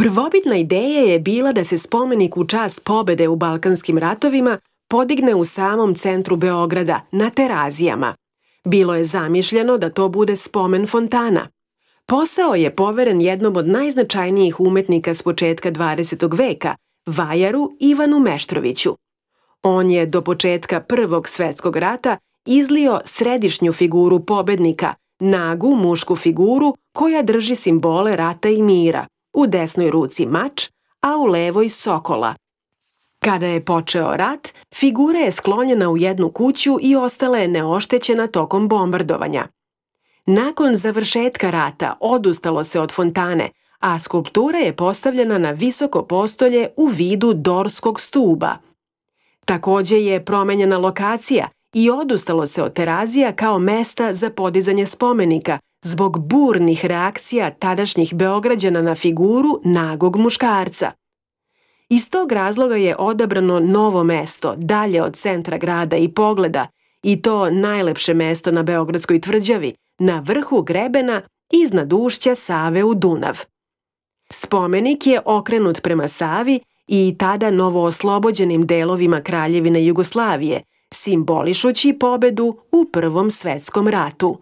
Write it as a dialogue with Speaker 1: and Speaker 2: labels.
Speaker 1: Prvobitna ideja je bila da se spomenik u čast pobede u Balkanskim ratovima podigne u samom centru Beograda, na Terazijama. Bilo je zamišljeno da to bude spomen fontana. Posao je poveren jednom od najznačajnijih umetnika s početka 20. veka, vajaru Ivanu Meštroviću. On je do početka Prvog svetskog rata izlio središnju figuru pobednika, nagu mušku figuru koja drži simbole rata i mira, u desnoj ruci mač, a u levoj sokola. Kada je počeo rat, figura je sklonjena u jednu kuću i ostala je neoštećena tokom bombardovanja. Nakon završetka rata odustalo se od fontane, a skulptura je postavljena na visoko postolje u vidu dorskog stuba. Takođe je promenjena lokacija i odustalo se od Terazija kao mesta za podizanje spomenika zbog burnih reakcija tadašnjih Beograđana na figuru nagog muškarca. Iz tog razloga je odabrano novo mesto, dalje od centra grada i pogleda, i to najlepše mesto na Beogradskoj tvrđavi, na vrhu grebena iznad ušća Save u Dunav. Spomenik je okrenut prema Savi i tada novooslobođenim delovima Kraljevine Jugoslavije, simbolišući pobedu u Prvom svetskom ratu.